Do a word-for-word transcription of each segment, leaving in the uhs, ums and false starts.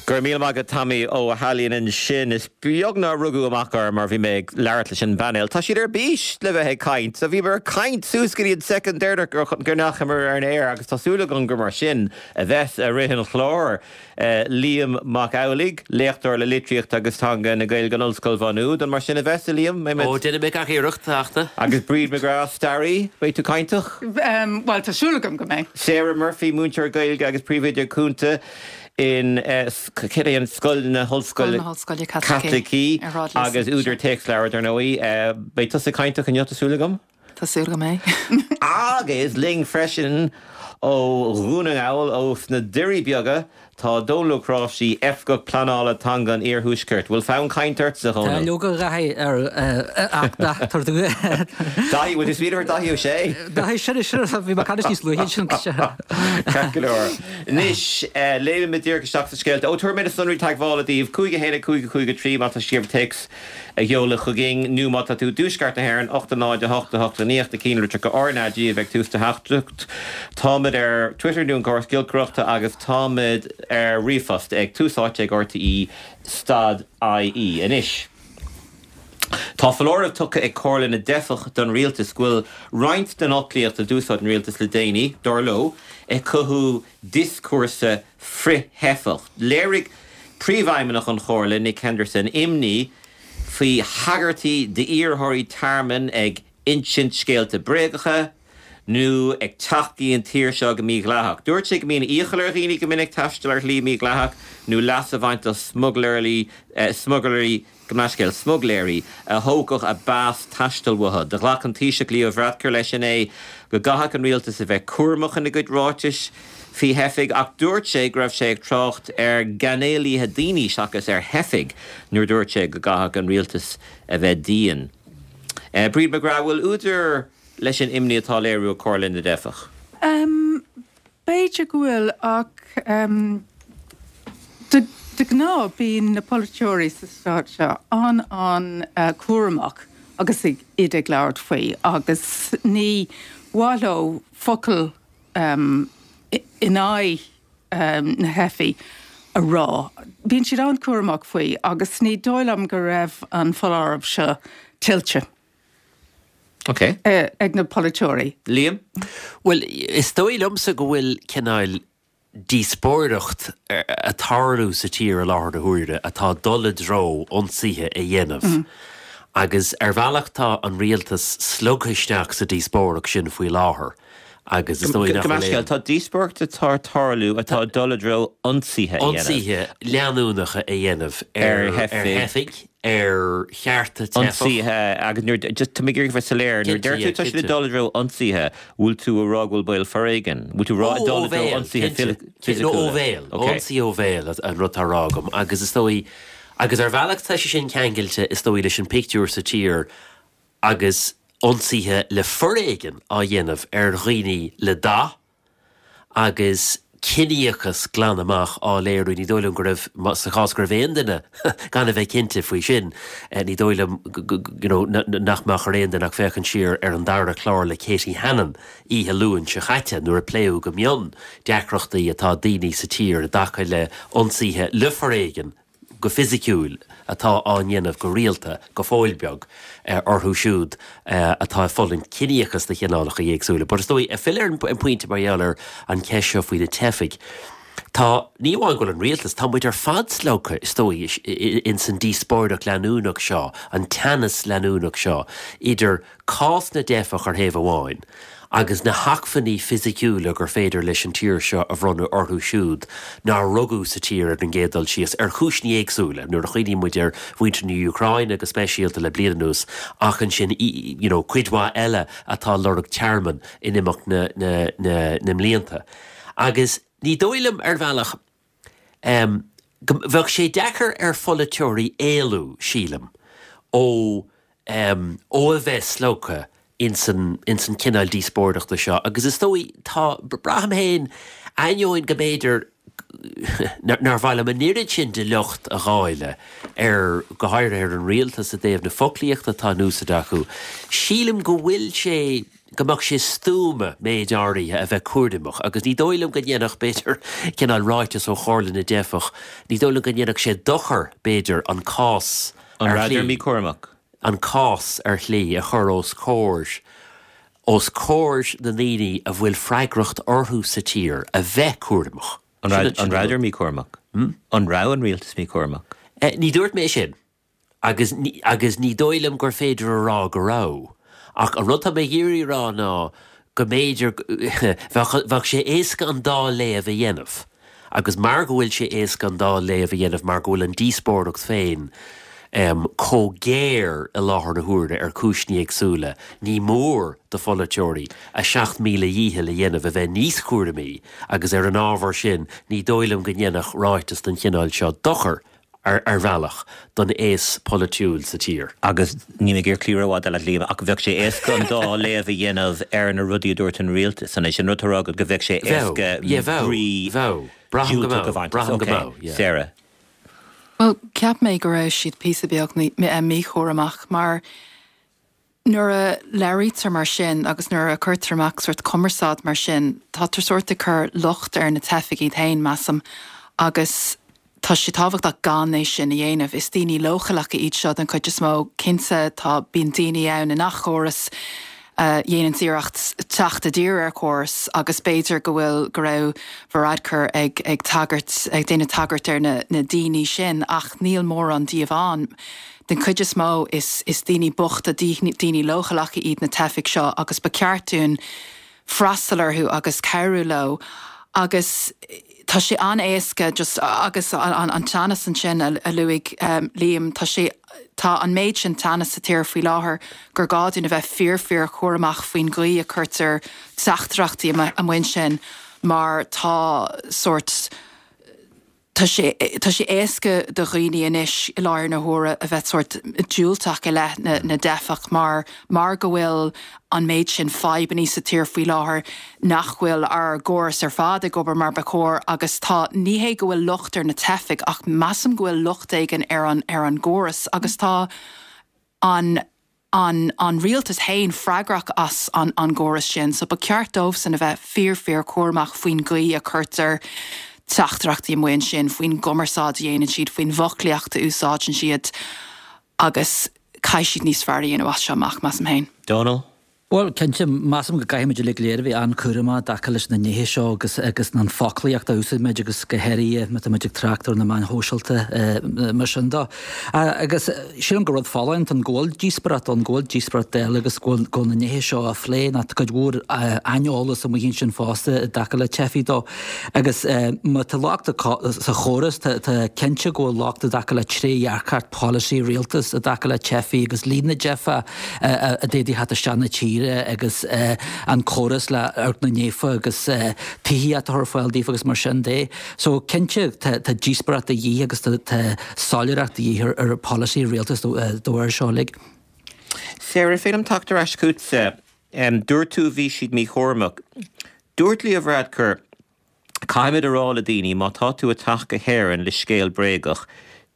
Go raibh míle maith agat Tommy Ó hAilín ansin is beag nár rugadh amach orm mar bhí mé ag labhairt leis an bpainéal. Tá siad ar bís le bheith ag caint, so bhí ag caint suas go dtí an soicind deireanach go ndeachamar ar an aer agus tá súil agam gur mar sin a bheas i rith an chláir. Uh, Liam Mac Amhlaigh, léachtóir le litríocht agus teanga na Gaeilge in Ollscoil Mhá Nuad, an mar sin a bheas Liam Ó déanfaidh mé gach iarracht teachta. Agus Bríd McGrath staraí, beidh tú cainteach? Um, well tá súil agam go mbeidh. Sarah Murphy múinteoir Gaeilge agus príomhoide cúnta in uh, an Scoil na hOllscoile Caitlicí agus údar téacsleabhar ar ndóigh uh, beidh tusa cainteach inniu tá súil agam? Tá súil agam é. Agus linn freisin ó Dhún na nGall ó na Doirí Beaga tá Dónal Ó Cnáimhsí Oifigeach Pleanála Teanga an Iarthuaiscirt. Bhfuil fonn cainte ort sa Tá leoga Dhaithí ar Daithí bhfuil tú ar Daithí Ó Sé? Daithí sin sin bhí ma canis níos luaithe sin go leor. Anois léimfidh díreach isteach sa scéalta. Ó tabharfaidh mé na sonraí teagmhála daoibh cúig a haon cúig cúig a trí má tá sibh téacs a sheoladh chugainn nó má tá tú i dtuaisceart na hÉireann ocht náid a hocht a hocht a naoi a ceathair litreacha RnaG a bheidh tús do theachtaireacht. Táimid ar Twitter nó an córas giolcaireachta agus táimid ar ríomhphost ag tús áite ag RTÉ stad IE anois. Tá foláireamh tugtha ag Comhairle na dTeifeach don rialtas go bhfuil roinnt den fhoclaíocht a d'úsáid an rialtas le déanaí dar leo ag cothú dioscúrsa frith-theifeach. Léirigh príomhfheidhmeannach an Chomhairle Nick Henderson imní faoi thagairtí d'iarrthóirí tearmainn ag insint scéalta bréagacha, nó ag teacht go dtí an tír seo go mídhleathach. Dúirt sé go mbíonn iachall ar dhaoine go minic taisteal ar shlí mídhleathach nó leas a bhaint as smugairlí smugairlí go meascéil smuigléirí a thógfadh a bpas taistil uathu. Do ghlac an Taoiseach Leo Varadkar leis inné go gcaithfeadh an rialtas a bheith cúramach ina gcuid ráitis faoi theifigh ach dúirt sé go raibh sé ag trácht ar gcainéalaithe daoine seachas ar theifigh nuair dúirt sé go gcaithfeadh an rialtas a bheith dian. Uh, Bríd McGrath bhfuil údar leis an imní atá léiriú Comhairle na dTeifeach. Um, B'fhéidir go bhfuil ach um, de, de ghnáth bíonn na polaiteoirí sa stát seo an an uh, cúramach agus ag iad ag labhairt faoi agus ní mhaith leo focal um, in aghaidh um, na dteifeach a rá. Bíonn siad an-chúramach faoi agus ní dóigh liom go raibh an foláireamh seo tuillte. Okay. Uh, ag na polaiteoirí. Liam? Well, is dóigh liomsa go bhfuil cineál díospóireacht ag tarlú sa tír i láthair na huaire atá dul i dtreo ionsaithe a dhéanamh. Mm. Agus ar bhealach tá an rialtas slogtha isteach sa díospóireacht sin faoi láthair. agus is dóigh nach tá díospóireacht atá ag tarlú atá dul i dtreo ionsaithe ionsaithe leanúnacha a dhéanamh ar theifigh ar chearta ionsaithe agus nuair just tá mé ag bheith soiléir nuair deir tú tá siad dul i dtreo ionsaithe bhfuil tú ag rá go bhfuil baol foréigin bhfuil tú rá dul i dtreo ionsaithe ó bhéal ionsaí ó bhéal an rud atá á rá agam agus is dóigh agus ar bhealach tá sé sin ceangailte is dóigh leis an pictiúr sa tír agus ionsaithe le foréigean á dhéanamh ar dhaoine le dath agus ciníochas glan amach á léiriú ní dóigh liom go raibh sa chás go raibh aon duine gan a bheith cinnte faoi sin ní dóigh liom nach mbeadh ar aon duine ach féachaint siar ar an dara clár le Katie Hannon oíche Luain seo caite nuair a pléadh go mion deacrachtaí atá daoine sa tír i dtaca le ionsaithe le foréigean go fisiciúil atá á ndéanamh go rialta go fóill beag orthu siúd atá ag fulaingt ciníochas de chineálacha éagsúla. But is dóigh filleadh ar an pointe mar gheall ar an cheist seo faoi na teifigh. Tá ní amháin go bhfuil an rialtas tá muid ar fad slogtha is dóigh in san díospóireacht leanúnach seo, an teannas leanúnach seo, idir cás na dteifeach ar thaobh amháin, agus na hacmhainní fisiciúla gur féidir leis an tír seo a bhronnadh orthu siúd nár rugadh sa tír ar an gcéad dul síos ar chúiseanna éagsúla nuair a chuimhníonn muid ar mhuintir na hÚcráine go speisialta le bliain anuas ach ansin you know, cuid mhaith eile atá lorg tearmann in imeacht na, na, na, na mblianta. Agus ní dóigh liom ar bhealach um, bheadh sé deacair ar pholaiteoirí éalú sílim ó um, ó a bheith slogtha insan insan cineál díospóireachta seo agus is dóigh tá braithim féin ainneoin go mb'fhéidir nár mhaith liom an oiread sin de locht a dháileadh ar go háirithe ar an rialtas i dtaobh na foclaíochta atá in úsáid acu. Sílim go bhfuil sé go mbeadh sé stuama méid áirithe a bheith cúramach, agus ní dóigh liom go ndéanfadh b'fhéidir cineál ráiteas ó Chomhairle na dTeifeach, ní dóigh liom go ndéanfadh sé dochar b'fhéidir an cás An rabhadar míchúramach? an cás ar shlí a chur os comhair os comhair na ndaoine a bhfuil freagracht orthu sa tír a bheith cúramach. An rabhadar míchúramach? An raibh an rialtas míchúramach? Ní dúirt mé sin. Agus agus ní dóigh liom gur féidir a rá go raibh. Ach an rud tá mé ag iarraidh a rá ná go mb'fhéidir bheadh sé éasca an dá léamh a dhéanamh. Agus mar go bhfuil sé éasca an dá léamh a dhéanamh mar go bhfuil an díospóireacht féin chomh géar i láthair na huaire ar chúiseanna éagsúla, ní mór do pholaiteoirí a seacht míle dhícheall a dhéanamh a bheith níos cúramaí agus ar an ábhar sin ní dóigh liom go ndéanfadh ráiteas den chineál seo dochar ar ar bhealach don aos polaitiúil sa tír. Agus ní mé gur clí rófhada le Liam ach bheadh sé éasca an dá léamh a dhéanamh ar na rudaí a dúirt an rialtas san sin rud rá go bheadh sé éasca brí Braithim go mbeadh, braithim go mbeadh, yeah. Sarah. Well, cheap mé go raibh siad píosa beag míchúramach mar nuair a labhraítear mar sin agus nuair a cuirtear amach sort cumarsáid mar sin, tátar sort ag cur locht ar na teifigh iad féin measaim agus tá sé tábhachtach gan é sin a dhéanamh. Is daoine leochaileacha iad seo den chuid is mó cinnte tá bíonn daoine ann i ngach córas a dhéanann iarracht teacht i dtír ar chóras agus b'fhéidir go bhfuil go raibh Varadkar ag ag tagairt ag déanamh tagairt ar na na daoine sin ach níl mórán díobh ann. Den chuid is mó is is daoine bochta daoine leochaileacha iad na teifigh seo agus ba cheart dúinn freastal orthu agus cabhrú leo agus tá sé an-éasca just agus an, an teannas ansin a, a luaigh um, Liam tá sé tá an méid sin teannas sa tír faoi láthair gur gá dúinn a bheith fíor fíor chúramach faoin gcaoi a cuirtear teachtaireachtaí amuigh ansin mar tá sort Tá sé tá sé éasca do dhaoine anois i láthair na huaire a bheith sort diúltach i leith na, na dteifeach mar mar go bhfuil an méid sin fadhbanna sa tír faoi láthair nach bhfuil ár gcóras ar fad ag obair mar ba chóir agus tá ní hé go bhfuil locht ar na teifigh ach measaim go bhfuil locht éigin ar an ar an gcóras agus tá an an an rialtas féin freagrach as an an gcóras sin, so ba cheart dóibhsan a bheith fíor fíor chúramach faoin gcaoi a cuirtear teachtaireachtaí amuigh ansin faoin gcumarsáid a dhéanann siad faoin bhfoclaíocht a úsáideann siad agus caithfidh siad níos fearr a dhéanamh as seo amach measaim féin. Donal? Well cinnte measaim go gcaithfimid uilig go léir a bheith an-chúramach i dtaca leis na nithe seo agus agus an foclaíocht a úsáidimid agus go háirithe má táimid ag trácht ar na meáin shóisialta mar sin de. Agus sílim gur rud folláin an go bhfuil díospóireacht ann go bhfuil díospóireacht eile agus go bhfuil na nithe seo á phlé ná tá cuid mhór aineolas amuigh ansin fosta i dtaca le teifigh dó. Agus má tá locht sa chóras tá cinnte go bhfuil locht i dtaca le trédhearcacht polasaí rialtas i dtaca le teifigh agus líon na dteifeach a d'fhéadfadh theacht isteach na tíre agus an córas le Áirc na nTeifeach agus tithíocht a chur ar fáil daofa agus mar sin de. So cinnte tá díospóireacht de dhíth agus tá soiléireacht de dhíth ar polasaí rialtas dá bharr seo uilig. Sarah, féidir liom teacht ar ais chugatsa. Dúirt tú bhí siad míchúramach. Dúirt Leo Varadkar, caithfimid a rá le daoine má tá tú ag teacht go hÉirinn le scéal bréagach,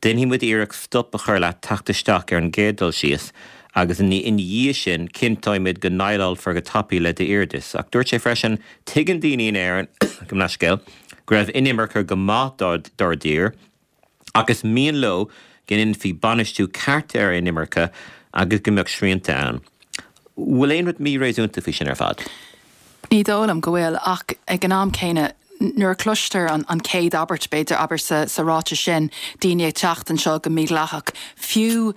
déanfaidh muid iarracht stop a chur leat teacht isteach ar an gcéad dul síos agus ina dhiaidh sin cinnteoimid go ndéileálfar go tapaidh le d'iarratas. Ach dúirt sé freisin tuigeann daoine in Éirinn go leithscéal go raibh inimirce go maith dár dtír ach is mian leo go ndéanfaí bainistiú ceart ar inimirce agus go mbeadh srianta ann. Bhfuil aon rud míréasúnta faoi sin ar fad? Ní dóigh liom go bhfuil ach ag an am céanna nuair a cloistear an, an chéad abairt b'fhéidir abair sa, sa ráiteas sin daoine ag teacht anseo go mídhleathach. Fiú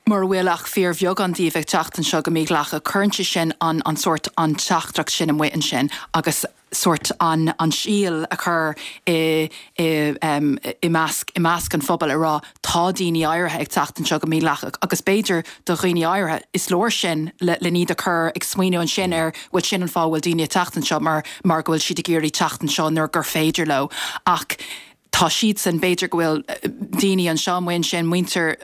mura bhfuil ach fíorbheagán díobh ag teacht anseo go mídhleathach, cuireann sé sin an, an sort an teachtaireacht sin amuigh ansin agus sort an an síol a chur i i um, i measc i measc an phobail a rá tá daoine áirithe ag teacht anseo go mídhleathach agus b'fhéidir do dhaoine áirithe is leor sin le le iad a chur ag smaoineamh ansin ar bhfuil sin an fáth bhfuil daoine ag teacht anseo mar mar go bhfuil siad ag iarraidh teacht anseo nuair gur féidir leo ach tá siad san b'fhéidir go bhfuil daoine anseo amuigh ansin muintir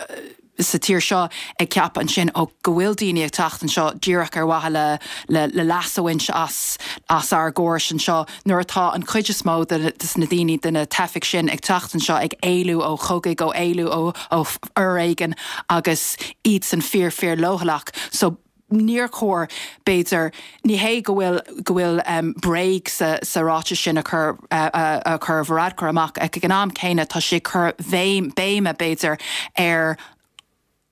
sa tír seo ag ceapadh ansin ó go bhfuil daoine ag teacht anseo díreach ar mhaithe le le le leas a bhaint as as ár gcóras anseo nuair atá an chuid is mó de de na daoine de na teifigh sin ag teacht anseo ag éalú ó chogaidh ó éalú ó ó fhoréigean agus iad san fíor fíor leochaileach so níor chóir b'fhéidir ní hé go bhfuil go bhfuil um, bréag sa, sa ráiteas sin a chur uh, uh, a chur Varadkar amach ag an am céanna tá sé cur bhéim béime b'fhéidir ar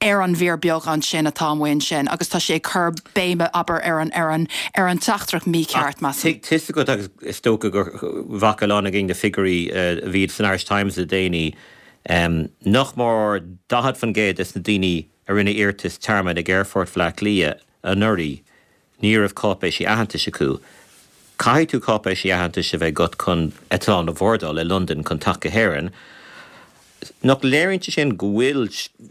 ar an bhfíor beagán sin atá amuigh ansin agus tá sé cur béime aber ar an ar an ar an teachtaireacht mícheart mas. Tis go agus is dócha gur bhfaca a lán againn na figiúirí a bhí san Irish Times le déanaí um, nach mór daichead faoin gcéad des na daoine a rinne iarratas tearmainn ag Aerfort Bhaile Átha Cliath anuraidh ní raibh cáipéisí aitheantais acu. Caithfidh tú cáipéisí aitheantais a bheith agat chun eitleán a bhordáil i Londain chun teacht go hÉirinn. Nach léiríonn sé sin go bhfuil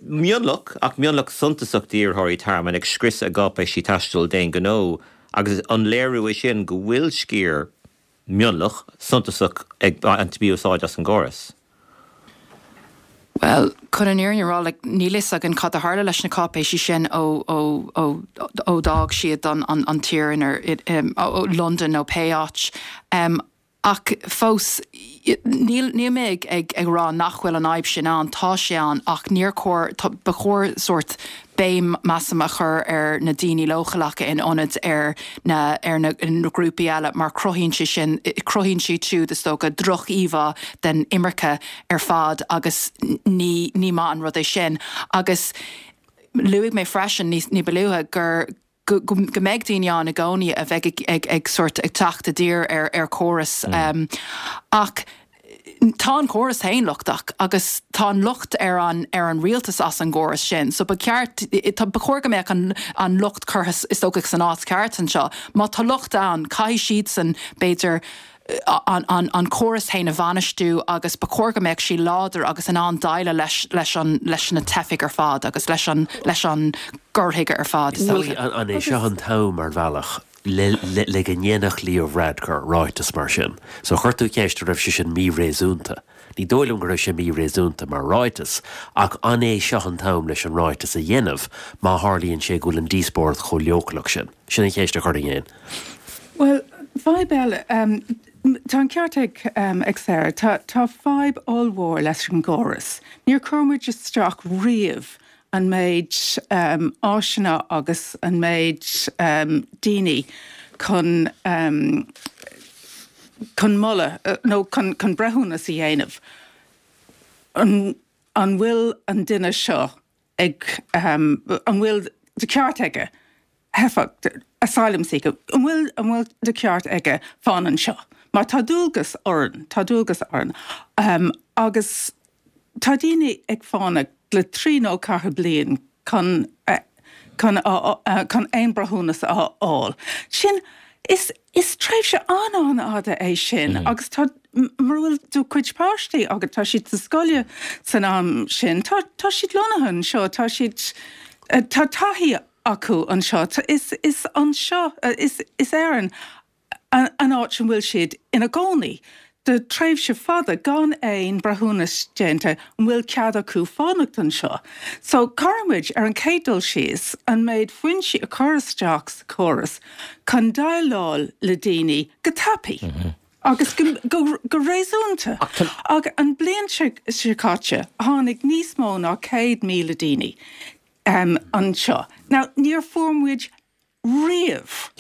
mionlach ach mionlach suntasach d'iarrthóirí tearmainn ag scriosadh a gcáipéisí taistil d'aon ghnó agus an léiriú é sin go bhfuil sciar mionlach suntasach ag baint mí-úsáid as an gcóras. Well, chun an fhírinne a rá like, níl fhios againn cad a tharla leis na cáipéisí sin ó ó ó ó d'fhág siad an, an, an tír in ar, um, ó, London nó pé áit. Um, ach fós níl níl mé ag, ag, ag rá nach bhfuil an fhadhb sin ann tá sé ann ach níor chóir ba chóir sórt béim measaim a chur ar na daoine leochaileacha in ionad ar na ar na, na grúpaí eile mar cruthaíonn sé sin cruthaíonn siad siúd is dócha droch-íomhá den imirce ar fad agus ní ní maith an rud é sin agus luaigh mé freisin ní, ní ba luaithe gur go, go, go mbeidh daoine ann i gcónaí a bheidh ag, ag, ag sort ag teacht i dtír ar, ar córas mm. um, ach tá an córas féin lochtach agus tá an locht ar an ar an rialtas as an gcóras sin. So ba ceart ba chóir go mbeadh an, an locht curtha is dócha san áit ceart anseo. Má tá locht ann caithfidh siad san b'fhéidir an, an, an córas féin a bhainistiú agus ba chóir go mbeadh sí láidir agus in ann déileáil leis, leis, an, leis na teifigh ar fad agus leis an, leis an gcur chuige ar fad. An, an é seo an t-am ar bhealach le, le, le go ndéanfadh Leo Varadkar ráiteas mar sin. So chuir tú ceist raibh sé sin míréasúnta. Ní dóigh liom go raibh sé míréasúnta mar ráiteas, ach an é seo an t-am leis an ráiteas a dhéanamh má tharlaíonn sé go bhfuil an díospóireacht chomh leochaileach sin. Sin an cheist a chuir féin. Well, fadhb eile um, Tá an ceart ag um, ag Sarah, tá, tá fadhb ollmhór leis an gcóras. Níor chuir muid isteach riamh an méid um, áiseanna agus an méid um, daoine chun um, chun moladh uh, nó chun, chun breithiúnas a dhéanamh. An, an bhfuil an duine seo ag um, an bhfuil de ceart aige teifeach asylum seeker an bhfuil an bhfuil de ceart aige fanacht anseo. Mar tá dualgas orainn, tá dualgas orainn. Um, agus tá daoine ag fanacht le trí nó ceathair bliain chun uh, chun uh, uh, chun aon breithiúnas a fháil. Sin is is tréimhse an-an-fhada é sin mm -hmm. agus tá mura bhfuil do chuid páistí agus tá siad sa scoil san am sin tá tá siad lonnaithe anseo tá siad uh, tá taithí acu anseo is is anseo uh, is is Éirinn an, an áit an bhfuil siad ina gcónaí. De tréimhse fada gan aon breithiúnas déanta an bhfuil cead acu fanacht anseo. So caithfimid ar an chéad dul síos an méid foinsí a chur isteach sa chóras chun déileáil le daoine go tapaidh. Mm -hmm. Agus go, go, go réasúnta. Ach an bliain seo caite tháinig níos mó ná céad míle daoine um, anseo. Now níor fuair muid riamh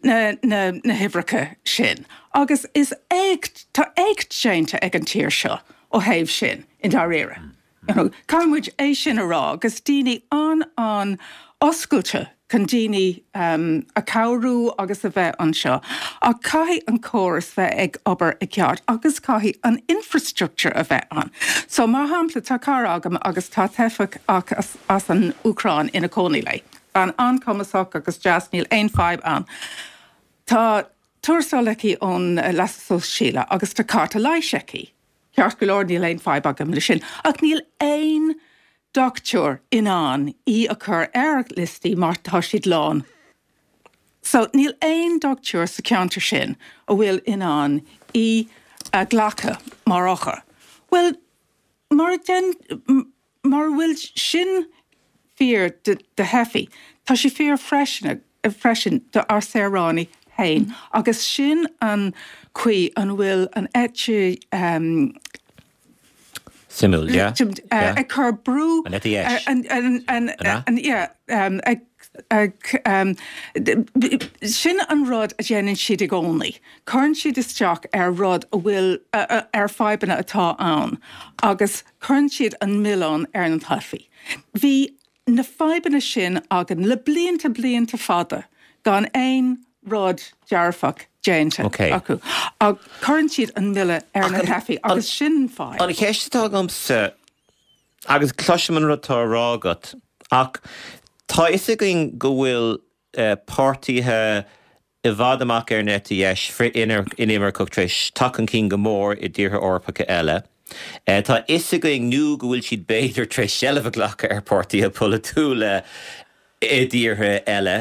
na, na, na huimhreacha sin. Agus is éacht tá éacht déanta ag an tír seo ó thaobh sin i ndáiríre. Mm. You know, Caithfimid é sin a rá, agus daoine an an oscailte chun daoine um, a chabhrú agus a bheith anseo. A caithfidh an córas bheith ag obair i gceart agus caithfidh an infrastructure a bheith ann. So mar shampla tá cara agam agus tá teifeach ach as, as an Úcráin ina cónaí léi. An an-chumasach agus deas níl aon fadhb ann. Tá tuarastal aici ón leasa sóisialta agus tá cárta leighis aici. Ceart go leor níl aon fadhb agam le sin, ach níl aon dochtúir in ann í a chur ar liostaí mar tá siad lán. So níl aon dochtúir sa cheantar sin a bhfuil in ann í a ghlacadh mar othar. Well mar den mar bhfuil sin fíor de, de theifigh, Tá sé fíor freisin freisin do ár saoránaigh féin agus sin an chaoi an bhfuil an eite um, Simul, yeah. Uh, ag cur brú An eite dheis. an an an An an yeah um, ag ag sin an rud a dhéanann siad i gcónaí. Cuireann siad isteach ar rud a bhfuil ar fadhbanna atá ann agus cuireann siad an milleán ar na teifigh. Bhí na fadhbanna sin againn le blianta blianta fada gan aon rud dearfach déanta acu. Ach cuireann siad an milleán ar na teifigh agus sin fadhb. An cheist atá agamsa, agus cloisim an rud atá á rá agat, ach tá a fhios againn go bhfuil páirtithe i bhfad amach ar an eite dheis frith-inimirceach tar éis teacht chun cinn go mór i dtíortha Eorpacha eile. Tá a fhios againn nó go bhfuil siad b'fhéidir tar éis seilbh a ghlacadh ar pháirtithe polaitiúla i dtíortha eile.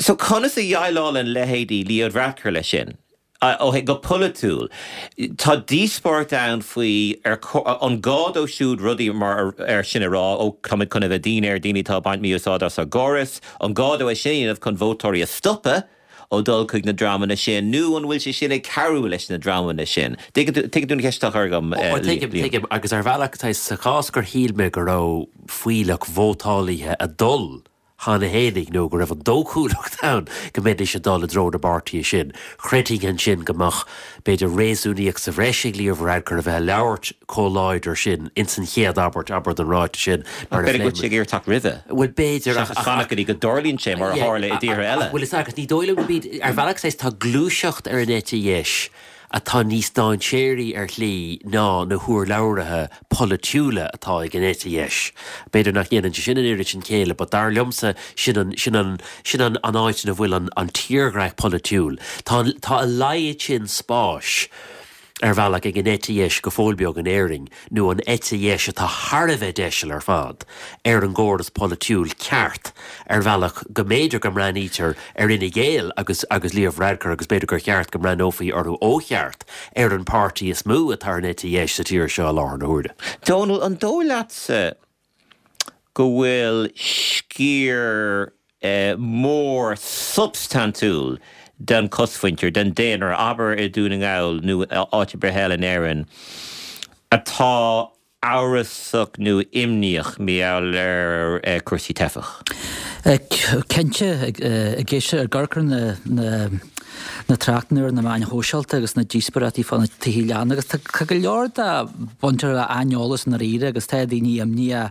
So conas a dhéileálann leithéidí Leo Varadkar leis sin? Ó thaobh go polaitiúil, tá díospóireacht ann faoi ar an gá dó siúd rudaí mar sin a rá, ó táimid chun a bheith dian ar daoine atá ag baint mí-úsáid as ár gcóras, an gá dó é sin a dhéanamh chun vótóirí a stopadh ó dhul chuig na dreamanna sin, nó an bhfuil sé sin ag cabhrú leis na dreamanna sin? Tuigeann tú an cheist atá á chur agam, Liam? Tuigim, tuigim, agus ar bhealach, sa chás gur shíl mé go raibh fuílleach vótálaithe ag dul cheana fhéinig nó go raibh an dóchúlacht ann go mbeidís ag dul i dtreo na bpáirtithe sin. Chreidfinn ansin go mbeadh, b'fhéidir, réasúnaíocht sa bhreis ag Leo Varadkar a bheith ag labhairt chomh láidir sin ins an chéad abairt, abair, den ráiteas sin mar a B'fhéidir go bhfuil sé ag iarraidh teacht roimhe. Bhuel, b'fhéidir, ach. Seachas fanacht go dtí go dtarlaíonn sé, mar a tharla i dtíortha eile. Bhuel, is ea, agus ní dóigh liom go mbíonn, ar bhealach saghas, tá gluaiseacht ar an eite dheis atá níos dainséaraí ar shlí ná na hurlabhraithe polaitiúla atá ag an eite dheis. B'fhéidir nach ndéanann sé sin an oiread sin céille but dar liomsa sin an, sin an, sin an, an áit ina bhfuil an, an tírdhreach polaitiúil. Tá an, tá a laghad sin spáis ar bhealach ag an eite dheis go fóill beag in Éirinn, nó an eite dheis atá thar a bheith deiseal ar fad, ar an gcóras polaitiúil ceart, ar bhealach go mb'fhéidir go mbreathnaítear ar Fhine Gael agus agus Leo Varadkar agus b'fhéidir gur cheart go mbreathnófaí orthu ó cheart ar an páirtí is mó atá ar an eite dheis sa tír seo i láthair na huaire. Dónal, an dóigh leatsa go bhfuil sciar mór substaintiúil den chosmhuintir, den daonra, abair i Dún na nGall nó áit ar bith eile in Éirinn, atá amhrasach nó imníoch mar gheall ar chúrsaí teifeach? Cinnte, ag éisteacht, ag amharc ar na na tráchtanna ar na meáin shóisialta agus na díospóireachtaí fá na tithe leanna agus tá go leor de baintear le aineolas i ndáiríre agus tá daoine imníoch.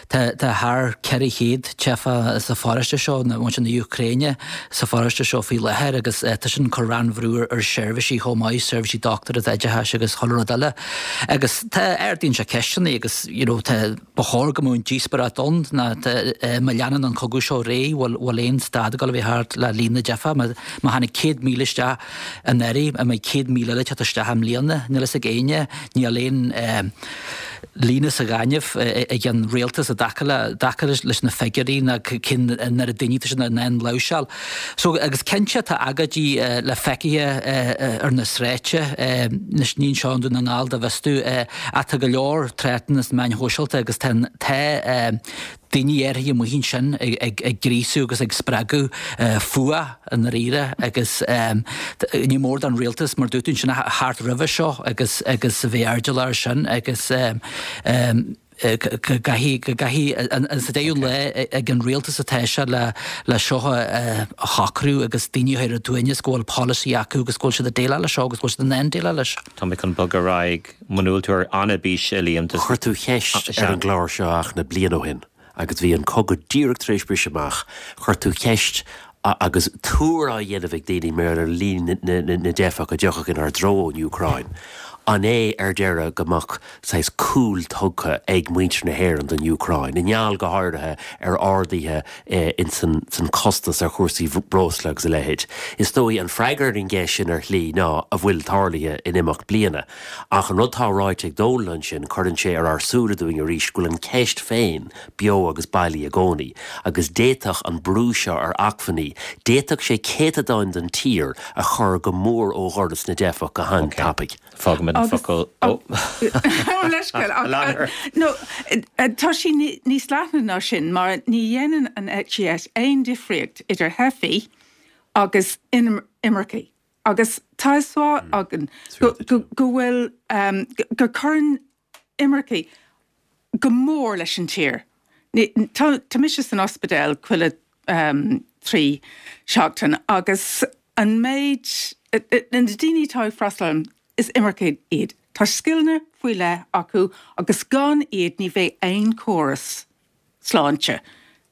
Tá thar ceithre chéad teifeach sa pharóiste seo, muintir na Úcráine sa pharóiste seo faoi láthair agus tá sin ag cur an-bhrú ar sheirbhísí chomh maith, seirbhísí dochtúireachta, oideachais agus chuile rud eile. Agus tá, ardaíonn sé ceisteanna agus you know tá, ba chóir go mbeadh an díospóireacht ann ná tá, má leanann an cogadh seo ar aghaidh, bhfuil, bhfuil aon stad ag dul a bheith thart le líon na dteifeach? Má, má tháinig céad míle isteach anuraidh, an mbeidh céad míle eile ag teacht isteach i mbliana? Níl fhios ag éinne, níl aon líne sa ghaineamh ag an rialtas i dtaca le, dtaca leis na figiúirí ná cén oiread daoine atá siad in ann láimhseáil. So, agus cinnte tá agóidí le feicthe ar na sráideanna, anois ní anseo i nDún na nGall dá bhfios domh, ach tá go leor tráchtanna sna meáin shóisialta agus tá, tá daoine áirithe amuigh ansin ag gríosú agus ag spreagadh fuath i ndáiríre agus ní mór don rialtas, mar dúirt tú ansin, a theacht roimhe seo agus agus a bheith airdeallach air sin agus go gcaithfidh, go gcaithfidh, sa deireadh lae ag an rialtas atá sé le le seo a shocrú agus daoine a chur ar a suaimhneas go bhfuil polasaí acu agus go bhfuil siad ag déileáil leis seo agus go bhfuil siad in ann déileáil leis. Tá mé chun bogadh ar aghaidh. Muna bhfuil tú ar an-bís, a Liam, just. Chuir tú ceist ar an gclár seo achan bliain ó shin. Agus bhí an cogadh díreach tar éis briseadh amach, chuir tú ceist agus tuar á dhéanamh ag daoine mar gheall ar líon na dteifeach a dtiocfadh inár dtreo ón Úcráin. An é ar deireadh go mbeadh saghas cúl tugtha ag muintir na hÉireann don Úcráin, i ngeall go háirithe ar arduithe ins an costas ar chúrsaí breosla agus a leithéid? Is dóigh an freagra ar an gceist sin ar shlí ná a bhfuil tarlaithe in imeacht bliana. Ach an rud tá ráite ag Dónal ansin, cuireann sé ar ár súile dúinn arís go bhfuil an ceist féin beo agus bailí i gcónaí, agus d'fhéadfadh an brú seo ar acmhainní, d'fhéadfadh sé céatadáin den tír a chur go mór ó dhoras na dteifeach go han-tapaidh. Fágfaimid an focal ó. Leithscéal, ach no, tá sí níos leithne ná sin, mar ní dhéanann an eite dheis aon difríocht idir theifigh agus imircigh. Agus tá a fhios againn go bhfuil, go gcuireann imircigh go mór leis an tír. Tá tá mise san ospidéal chuile um, trí seachtain agus an méid na daoine atá ag freastal is imircigh iad. Tá scileanna faoi leith acu agus gan iad ní bheidh aon chóras sláinte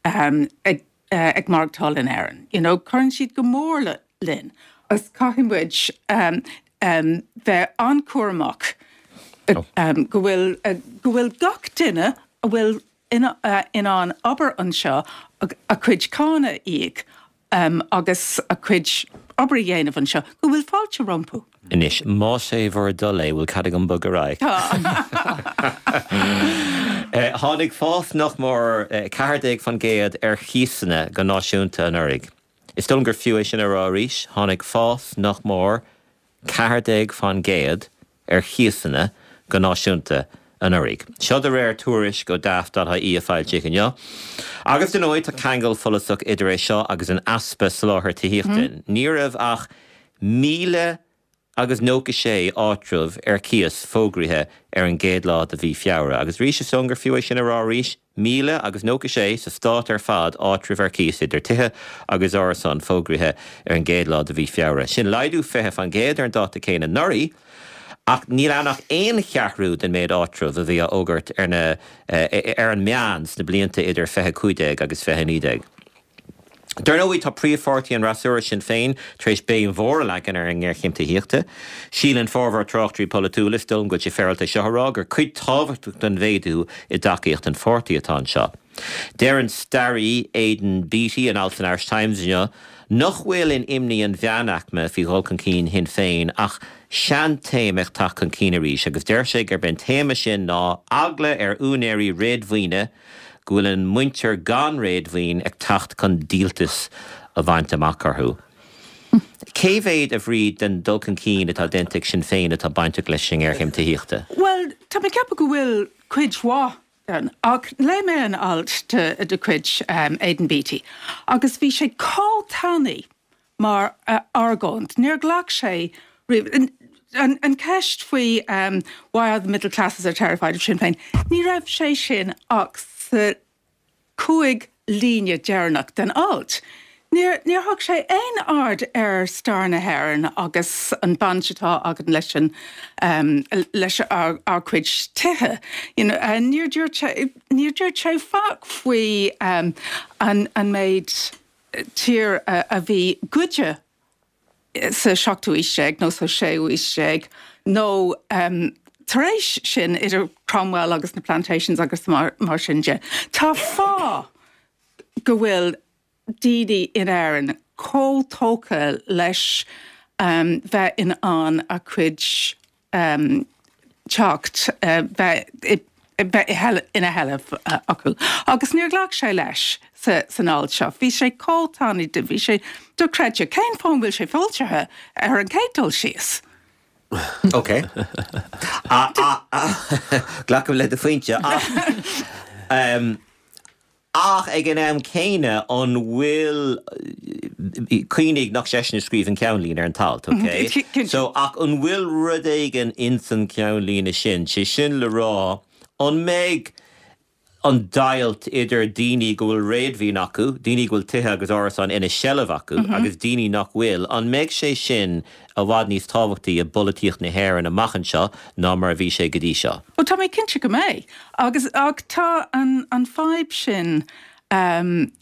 um, ag, uh, ag maireachtáil in Éirinn. You know, cuireann siad go mór le linn agus caithfidh muid um, um, bheith an-chúramach oh. um, go bhfuil uh, go bhfuil gach duine a bhfuil in, uh, in ann obair anseo a, a cuid cánach a íoc um, agus a cuid obair a dhéanamh anseo, go bhfuil fáilte rompu. Anois, más é bhur dtoil é bhfuil cead agam bogadh ar aghaidh. Tháinig fás nach mór ceathair déag faoin gcéad ar chíosanna go náisiúnta anuraidh. Is dóigh liom gur fiú é sin a rá arís, tháinig fás nach mór ceathair déag faoin gcéad ar chíosanna go náisiúnta anuraidh. Seo de réir tuairisc ó Daft.ie a foilsíodh inniu. Agus dar ndóigh tá ceangal follasach idir é seo agus an easpa soláthair tithíochta. Ní raibh ach míle agus nócha sé áitreabh ar cíos fógraithe ar an gcéad lá de mhí Feabhra. Agus arís is dóigh liom gur fiú é sin a rá arís, míle agus nócha sé sa stát ar fad áitreabh ar cíos idir tithe agus árasáin fógraithe ar an gcéad lá de mhí Feabhra. Sin laghdú fiche faoin gcéad ar an dáta céanna anuraidh, ach níl ann ach aon cheathrú den méid áitreabh a bhí á fhógairt ar na ar an meán sna blianta idir fiche cúig déag agus fiche naoi déag. Dar ndóigh, tá príomhpháirtí an fhreasúra, Sinn Féin, tar éis béim mhór a leagan ar an ngéarchéim tithíochta. Síleann formhór tráchtairí polaitiúla, is dóigh liom go bhfuil sé féaráilte seo a rá, gur cuid tábhachtach den mhéadú i dtacaíocht an pháirtí atá anseo. Deir an staraí Aidan Beatty in alt san Irish Times inniu nach bhfuil in imní an mheánaicme faoi dhul chun cinn Shinn Féin ach seantéama ag teacht chun cinn arís agus deir sé gurb é an téama sin ná eagla ar úinéirí réadmhaoine go bhfuil an muintir gan réadmhaoin ag teacht chun díoltas a bhaint amach orthu. Cé mhéad a Bhríd den dul chun cinn atá déanta ag Sinn Féin atá bainteach leis an ngéarchéim tithíochta? Bhuel, tá mé ag ceapadh go bhfuil cuid mhaith den, ach léigh mé an alt de, de chuid um, Aidan Beatty agus bhí sé chomh tanaí mar uh, argóint. Níor ghlac sé riamh an, an ceist faoi um, why are the middle classes are terrified of Sinn Féin. Ní raibh sé sin ach sa cúig líne deireanach den alt. Níor níor thug sé aon aird ar stair na hÉireann agus an baint atá againn leis an um, leis ár, ár cuid tithe. You know, uh, níor dúirt sé níor dúirt sé faic faoi um, an, an méid tír a, a bhí goidte sa seachtú haois déag nó sa séú haois déag nó um, tar éis sin idir Cromwell agus na plantations agus mar, mar sin de. Tá fáth go bhfuil daoine in Éirinn chomh tógtha leis um, bheith in ann a cuid um, teacht uh, bheith bheith ina sheilbh uh, acu. Agus níor ghlac sé leis sa, san alt seo. Bhí sé chomh tanaí de bhí sé dochreidte cén fáth bhfuil sé foilsithe ar an chéad dul síos. Ok. Glacaim le do phointe. Um, ach ag an am céanna an bhfuil cuimhnigh nach seisean a scríobh an ceannlíne ar an t-alt, ok? So ach an bhfuil rud éigin insan ceannlíne sin, sé sin le rá an mbeidh an deighilt idir daoine go bhfuil réadmhaoin acu, daoine go bhfuil tithe agus árasáin ina seilbh acu mm -hmm. agus daoine nach bhfuil, an mbeidh sé sin i bhfad níos tábhachtaí i bpolaitíocht na hÉireann amach anseo ná mar a bhí sé go dtí seo. Ó tá mé cinnte go mbeidh agus ach tá an, an fadhb sin um,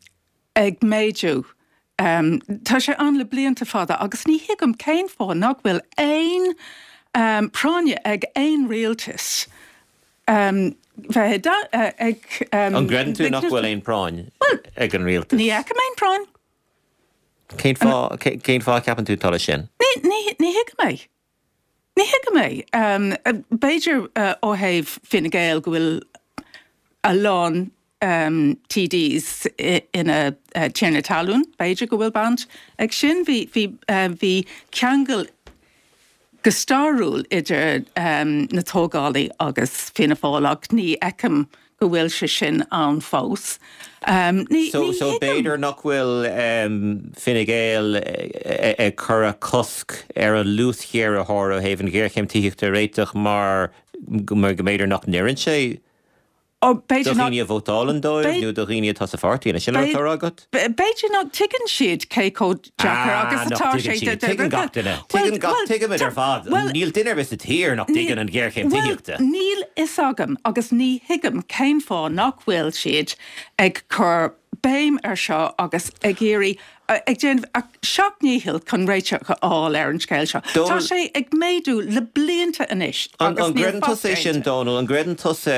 ag méadú. Um, tá sé ann le blianta fada agus ní thuigim cén fáth nach bhfuil aon um, práinne ag aon rialtas um, bheith uh, ag... Um, an gcreideann tú nach bhfuil aon práinn ag an rialtas? Ní fheicim aon práinn. Cén fáth cén fáth ceapann tú tá sin? Ní thuigim é. Ní thuigim é. Um, B'fhéidir uh, ó thaobh Fine Gael go bhfuil a lán um, TDs ina uh, tiarnaí talún, b'fhéidir go bhfuil baint ag sin bhí bhí uh, bhí ceangal go stairiúil idir um, na tógálaí agus Fianna Fáil ach ní fheicim go bhfuil sé sin ann fós. Um, ní, so, ní so b'fhéidir nach bhfuil um, Fine Gael ag cur cosc ar an luasghéaraitheoir ó thaobh an ghéarchéim tithíochta a réiteach mar mar go mb'fhéidir nach n-oireann sé Ó, b'fhéidir Do dhaoine a vótálann dóibh nó do dhaoine atá sa pháirtí, an sin an rud agat? B'fhéidir nach dtuigeann siad cé chomh deacair Ah, agus nach atá dtuigeann sé siad. Tuigeann gach duine. Tuigeann gach tuigimid ar fad. Níl duine ar bith sa tír nach dtuigeann an ghéarchéim tithíochta. Níl fhios agam agus ní thuigim cén fáth nach bhfuil siad ag cur béim ar seo agus ag iarraidh ag déanamh a seacht ndícheall chun réiteach a fháil ar an scéal seo. Tá sé ag méadú le blianta anois. An gcreideann tusa é sin Dónal, an gcreideann tusa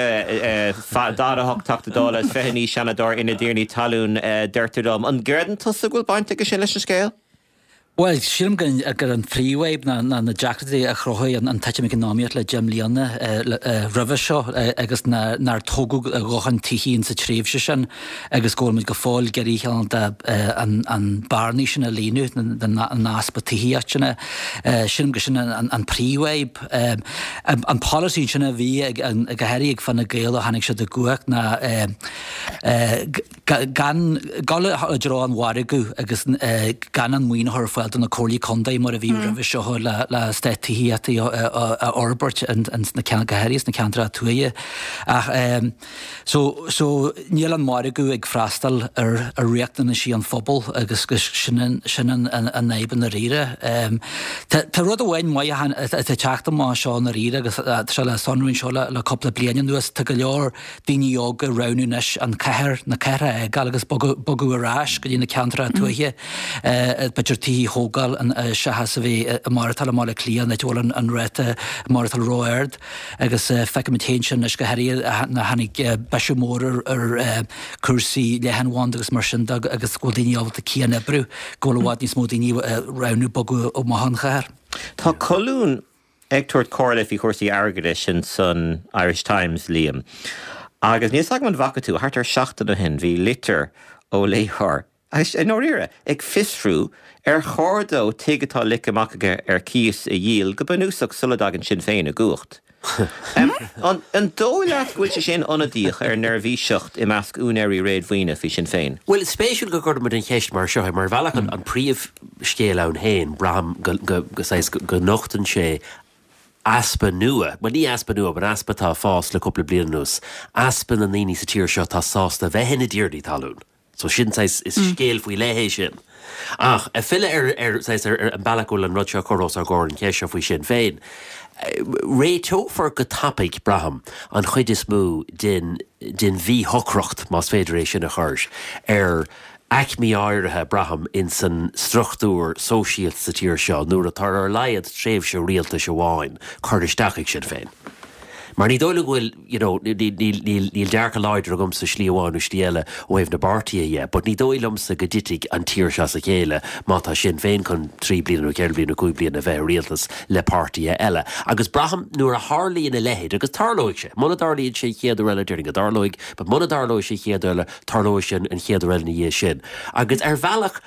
daichead a hocht Teachta Dála is fiche naoi Seanadóir ina dtiarnaí talún deirtear dom. An gcreideann tusa go bhfuil baint aige sin leis an scéal? Bhuel, sílim gur an phríomhfhadhb ná na deacrachtaí a chruthaigh an titim eacnamaíoch le deich mbliana roimhe seo agus nár tógadh a dhóthain tithí sa tréimhse sin agus go bhfuil muid go fóill ag iarraidh cineál de an bearnaí sin a líonadh den easpa tithíochta sin. Sílim gur sin an phríomhfhadhb. An polasaí sin a bhí ag go háirithe ag Fine Gael ó tháinig siad i gcumhacht ná gan dul i dtreo an mhargaidh agus gan an maoin a chur ar fáil do na comhairlí contae mar a bhí roimhe seo le le eastáit tithíochta a fhorbairt sna go háirithe sna ceantracha tuaithe. Ach so so níl an margadh ag freastal ar ar riachtanaisí an phobail agus sin sin an an fhadhb i ndáiríre. Tá tá rud amháin maith atá ag teacht amach seo i ndáiríre agus tá sé le sonrú anseo le le cúpla bliain anuas, tá go leor daoine óga ag roghnú anois an cathair, na cathracha a fhágáil agus bogadh ar ais go dtí na ceantracha tuaithe, b'fhéidir tithe a thógáil seachas a bheith ag maireachtáil i mBaile Átha Cliath, an áit a bhfuil an ráta maireachtála ró-ard agus feicimid féin sin anois go háirithe nuair a tháinig bisiú mór ar chúrsaí leathanbhanda agus mar sin de agus go bhfuil daoine ábalta cian-oibriú, go bhfuil i bhfad níos mó daoine ag roghnú bogadh amach ón chathair. Tá colún ag tabhairt comhairle faoi chúrsaí airgeadais in san Irish Times, Liam. Agus níl 's agam an bhfaca tú, thart ar seachtain ó shin bhí litir ó léitheoir, agus i ndáiríre, ag fiosrú ar chóir dó tigh atá ligthe amach aige ar cíos a dhíol go bunúsach sula dtagann Sinn Féin i gcumhacht. An dóigh leat go bhfuil sé sin ionadaíoch ar neirbhíseacht i measc úinéirí réadmhaoine faoi Sinn Féin? Bhuel, is spéisiúil go gcuireann muid an cheist mar seo, mar ar bhealach an príomhscéal ann féin, braithim go, go, go, saghas, go nochtann sé easpa nua, bhuel ní easpa nua, but easpa atá ag fás le cúpla bliain anuas, easpa na ndaoine sa tír seo atá sásta bheith ina dtiarnaí talún. So sin saghas, is scéal faoi leith é sin. Ach ag filleadh ar, ar, saghas, ar, ar an bealach go bhfuil an rud seo curtha os ár gcomhair, an cheist seo faoi Sinn Féin, réiteofar go tapaidh, braithim, an chuid is mó den, den mhíshocracht, más féidir é sin a chur, ar aicmí áirithe, braithim, ins an struchtúr sóisialta sa tír seo nuair atá ar a laghad tréimhse rialtais amháin curtha isteach ag Sinn Féin. Mar ní dóigh liom go bhfuil, you know, níl, níl, níl dearcadh láidir agamsa slí amháin nó slí eile ó thaobh na bpáirtithe dhe, but ní dóigh liomsa go dtitfidh an tír seo as a chéile má tá Sinn Féin chun trí bliana nó ceithre bliana nó cúig bliana a bheith i rialtas le páirtithe eile. Agus braithim nuair a tharlaíonn a leithéid, agus tarlóidh sé, muna dtarlaíonn sé an chéad uair eile, déarfainn go dtarlóidh, but muna dtarlóidh sé an chéad uair eile, tarlóidh sé an chéad uair eile ina dhiaidh sin. Agus ar bhealach,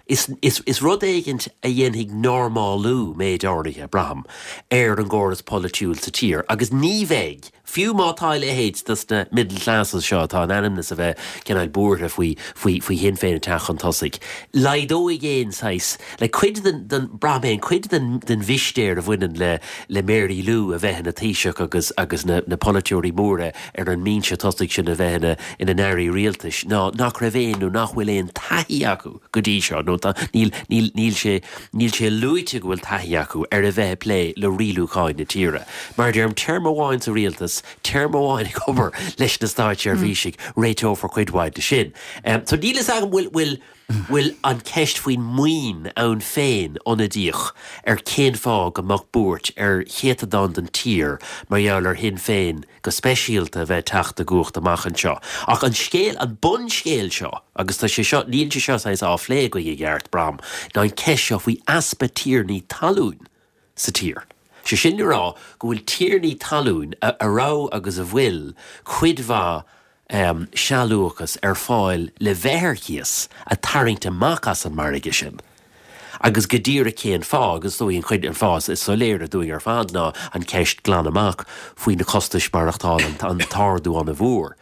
is, is, is rud éigint a dhéanfaidh normálú méid áirithe, braithim, ar an gcóras polaitiúil sa tír. Agus ní bheidh, fiú má tá a leithéid dos na middle classes seo atá in ainm is a bheith cineál buartha faoi, faoi, faoi Shinn Féin ag teacht chun tosaigh, laghdóidh aon saghas, like cuid den, den, braithim féin, cuid den, den mhistéir a bhaineann le, le Mary Lou a bheith ina Taoiseach agus, agus na, na polaiteoirí móra ar an mbinse tosaigh sin a bheith ina, ina n-airí rialtais ná nach raibh aon nó nach bhfuil aon taithí acu go dtí seo nó tá, níl, níl, níl sé, níl sé luaite go bhfuil taithí acu ar a bheith ag plé le rialúcháin na tíre. Mar a deirim, téarma amháin sa rialtas, téarma amháin ag obair leis na státseirbhísigh, réiteofar cuid mhaith de sin. So níl fhios agam bhfuil, bhfuil, bhfuil an ceist faoin maoin ann féin ionadaíoch ar cén fáth go mbeadh buairt ar chéatadán den tír mar gheall ar Shinn Féin go speisialta a bheith ag teacht i gcumhacht amach anseo. Ach an scéal, an bunscéal seo, agus tá sé seo, níl sé seo saghas á phlé againn i gceart, braithim, ná an ceist seo faoi easpa tiarnaí talún sa tír. Sé sin le rá go bhfuil tiarnaí talún a raibh agus a bhfuil cuid mhaith sealúchas ar fáil le bheith ar cíos a tarraingt amach as an margadh sin. Agus go díreach cén fáth, agus is dóigh an chuid, an fáth is soiléire dúinn ar fad ná an ceist glan amach faoi na costais maireachtála, an t-ardú an-mhór.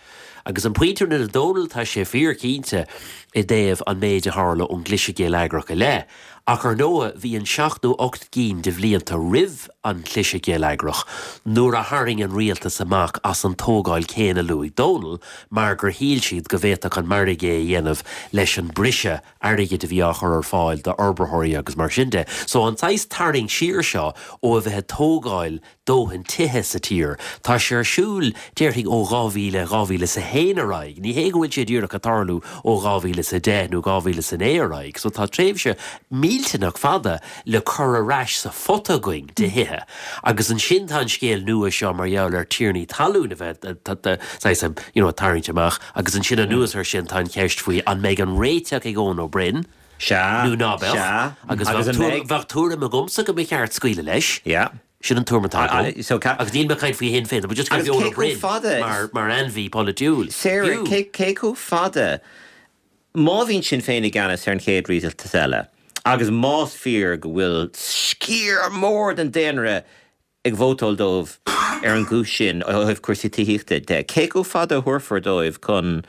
Agus an pointe a rinne Dónal, tá sé fíor cinnte i dtaobh an méid a tharla ón gcliseadh geilleagrach i leith, Ach ar ndóigh bhí an seacht nó ocht gcinn de bhlianta roimh an chliseadh geilleagrach nuair a tharraing an rialtas amach as an tógáil céanna a luaigh Dónal mar gur shíl siad go bhféadfadh an margadh é a dhéanamh leis an briseadh airgid a bhí á chur ar fáil d'fhorbraitheoirí agus mar sin de. So an saghas tarraingt siar seo ó a bheith ag tógáil dóthain tithe sa tír. Tá sé ar siúl, déarfainn, ó dhá mhíle, dhá mhíle is a haon ar aghaidh. Ní hé go bhfuil sé díreach ag tarlú ó dhá mhíle is a deich nó dhá mhíle is a naoi ar aghaidh. So tá tréimhse millteanach fada le cur ar ais sa phota againn de thithe. Agus ansin tá an scéal nua seo mar gheall ar tiarnaí talún a bheith saghas, you know, ag tarraingt amach. Agus ansin anuas air sin tá an cheist faoi an mbeidh an réiteach ag Eoin Ó Broin Sea, nó ná beadh. sea. Agus Agus bheadh an tuairim, mbeidh? bheadh tuairim agamsa go mba cheart scaoileadh leis. Yeah. Sin an tuairim atá agam. So ca- Agus níl mé ag caint faoi Shinn Féin, but just Agus go cé chomh fada mar mar ainmhí polaitiúil. Sarah, cé cé chomh fada má bhíonn Sinn Féin i gceannas ar an chéad rialtas eile, agus más fíor go bhfuil sciar mór den daonra ag vótáil dóibh ar an gcúis sin ó thaobh cúrsaí tithíochta de, cé chomh fada a thabharfar dóibh chun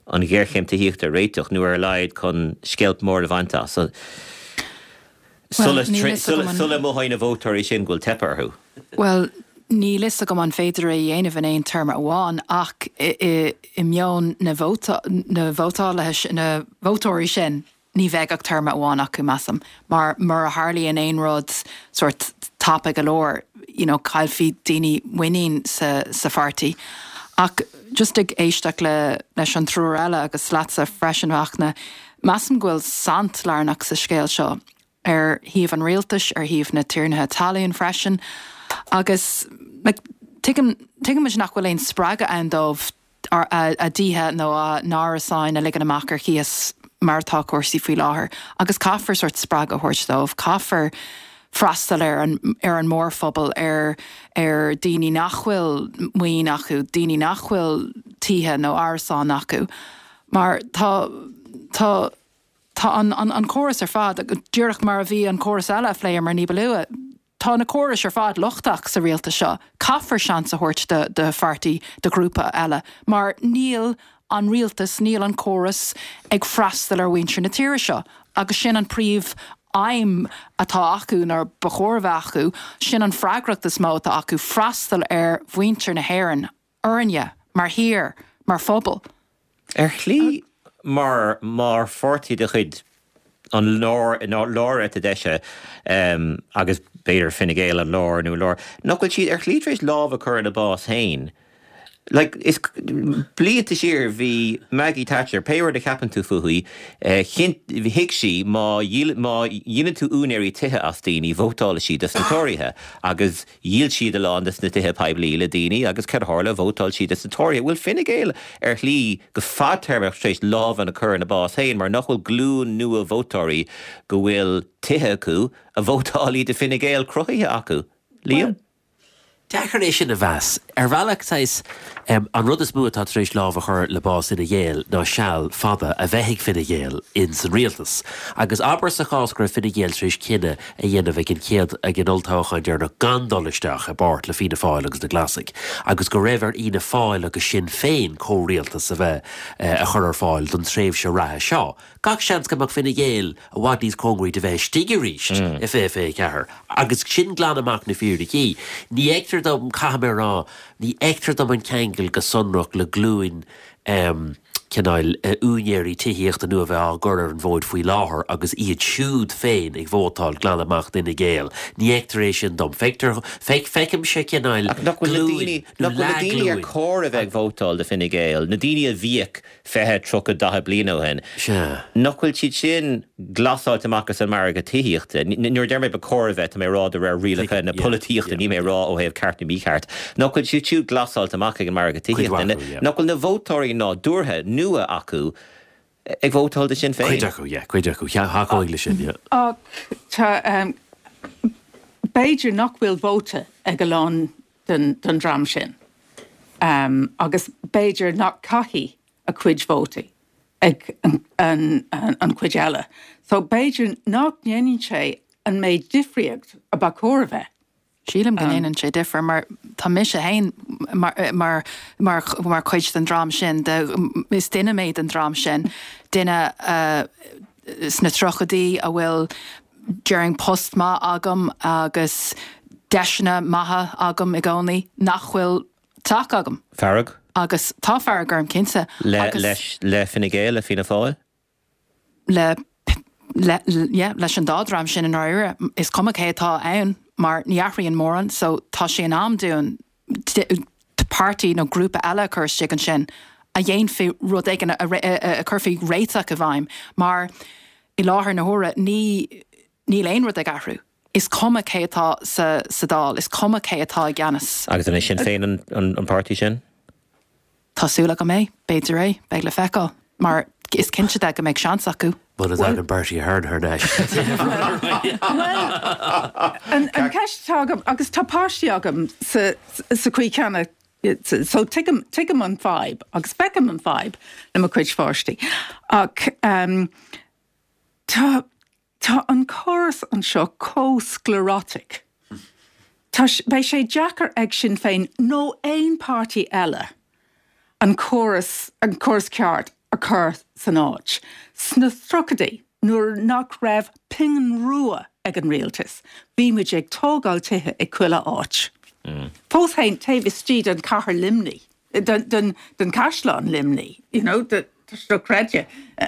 an ghéarchéim tithíochta a réiteach nó ar a laghad chun sceilp mór a bhaint as? Well, Sula níl fhios agam an- sula mothóidh na vótóirí sin go bhfuil teipthe orthu. Well, níl fhios agam an féidir é a dhéanamh in aon téarma amháin ach i, i, i meon na, vóta, na vótálaithe na vótóirí sin ní bheidh ach téarma amháin acu measaim, mar mura tharlaíonn aon rud sort tapa go leor, you know, caillfidh daoine muinín sa, sa pháirtí. Ach just ag éisteacht le leis an triúr eile agus leatsa freisin Fachtna, measaim go bhfuil saint lárnach sa scéal seo ar thaobh an rialtais, ar thaobh na tiarnaithe talún freisin, agus like, tuigim tuigimid nach bhfuil aon spreagadh ann dóibh ar- a, a dtithe nó a n-árasáin a ligean amach ar cíos mar atá cúrsaí faoi láthair, agus caithfear sort spreagadh a thabhairt dóibh, caithfear freastal ar an, ar an mórphobal ar ar daoine nach bhfuil maoin acu, daoine nach bhfuil tithe nó árasán acu, mar tá tá tá an, an, an córas ar fad, díreach mar a bhí an córas eile a phléamar ní ba luaithe. Tá na córais ar fad lochtach sa rialtas seo, caithfear seans a thabhairt de, de pháirtí de ghrúpa eile, mar níl an rialtas, níl an córas ag freastal ar mhuintir na tíre seo, agus sin an príomh aidhm atá acu nó ba chóir a bheith acu, sin an freagracht is mó atá acu freastal ar mhuintir na hÉireann, orainne, mar thír, mar phobal. Ar shlí mar mar pháirtí de chuid an lár lár eite deise um, agus b'fhéidir Fine Gael an lár nó lár, nach bhfuil siad ar shlí tar éis lámh a chur ina bás féin. Like, is blianta siar bhí Maggie Thatcher, pé rud a cheapann tú fúithi, eh, thuig sí má má dhíolann tú úinéirí tithe as daoine vótálfaidh siad dos na Tóraithe, agus dhíol siad a lán des na tithe poiblí le daoine agus cad a tharla vótáil siad dos na Tóraithe. Bhfuil Fine Gael ar shlí go fadtéarmach tar éis lámh a chur ina bás féin, mar nach bhfuil glúin nua vótóirí go bhfuil tithe acu a vótálfaidh do Fine Gael cruthaithe acu. Liam? Deacair é sin a mheas. Ar bhealach saghas um, an rud is mó atá tar éis lámh a chur le bás Fhine Gael ná seal fada a bheith ag Fine Gael in san rialtas. Agus abair sa chás go raibh Fine Gael tar éis cinneadh a dhéanamh ag an chéad ag an olltoghchán deireanach gan dul isteach i bpáirt le Fianna Fáil agus na Glasaigh, agus go raibh ar Fhianna Fáil agus Sinn Féin comhrialtas a bheith uh, a chur ar fáil don tréimhse reatha seo. Gach seans go mbeadh Fine Gael i bhfad níos cóngaraí de bheith istigh arís mm. i fiche fiche ceathair. Agus sin glan amach na fíricí. Ní fheictear dom caithfidh mé rá, ní fheictear dom an ceangal go sonrach le glúin um, cineál uh, úinéirí tithíochta nua bheith á gcur ar an bhfód faoi láthair agus iad siúd féin ag vótáil glan amach d'Fhine Gael. Ní fheictear é sin dom. Feictear feic feicimse cineál Nach bhfuil na daoine nach bhfuil na daoine ar chóir a bheith ag vótáil do Fine Gael, na daoine a bhíodh fiche tríocha daichead bliain ó shin. Sea. Nach bhfuil siad sin glasáilte amach as an margadh tithíochta. Nuair a deir mé ba chóir a bheith tá mé rá de réir rialacha na polaitíochta ní mé rá ó thaobh ceart nó mícheart. Nach bhfuil siad siúd glasáilte amach ag an margadh tithíochta. Nach bhfuil na vótóirí nádúrtha nua acu ag vótáil do Sinn Féin. Cuid acu, yeah, cuid acu, thacóidh le sin, yeah. Ach tá um, b'fhéidir nach bhfuil vóta ag a lán den, den dream sin. Um, agus b'fhéidir nach caithfidh a cuid vótaí ag an, an, an, an chuid eile. So b'fhéidir nach ndéanann sé an méid difríocht a ba chóir a bheith. Sílim go ndéanann sé difear mar tá mise féin mar, mar, mar, mar chuid den dream sin de, is duine mé den dream sin duine uh, sna tríochaidí a bhfuil déarfainn post maith agam agus deiseanna maithe agam i gcónaí nach bhfuil teach agam. Fearg? Agus tá fearg orm cinnte. Le, leis, le Fine Gael, le Fianna Fáil? Le, le, yeah, leis an dá dhream sin i ndáiríre. Is cuma cé atá ann mar ní athraíonn mórán, so tá sé in am dúinn páirtí nó grúpa eile a chur isteach ansin a dhéanfaidh rud éigin a, a, a chuirfidh réiteach i bhfeidhm mar i láthair na huaire ní níl aon rud ag athrú. Is cuma cé atá sa, sa Dáil, is cuma cé atá i gceannas. Agus an é Sinn Féin an, an, an páirtí sin? Tá súil agam é, b'fhéidir é, beidh le feiceáil, mar is cinnte de go mbeidh seans acu. Muna dtagann Bertie Ahern thar n-ais. An an ceist atá agam agus tá páistí agam sa sa chaoi chéanna so tuigim tuigim an fadhb agus feicim an fadhb le mo chuid pháistí. Ach um, tá tá an córas anseo chomh sclerotic. Tá beidh sé deacair ag Sinn Féin nó aon páirtí eile an córas an córas ceart a chur san áit. Sna tríochaidí nuair nach raibh pingin rua ag an rialtas, bhí muid ag tógáil tithe i chuile áit. Mm. Fós féin taobh istigh den cathair Luimnigh, den, den, den caisleán Luimnigh, you know, de, dochreidte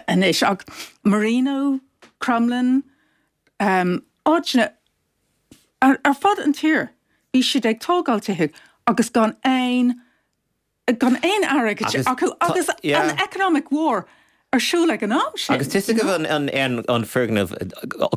anois ach Marino, Crumlin, um, áiteanna ar, ar fud an tír, bhí siad ag tógáil tithe agus gan aon gan aon airgead acu agus an economic war ar siúl ag an am sin. Agus tusa go an, an, an, an foirgneamh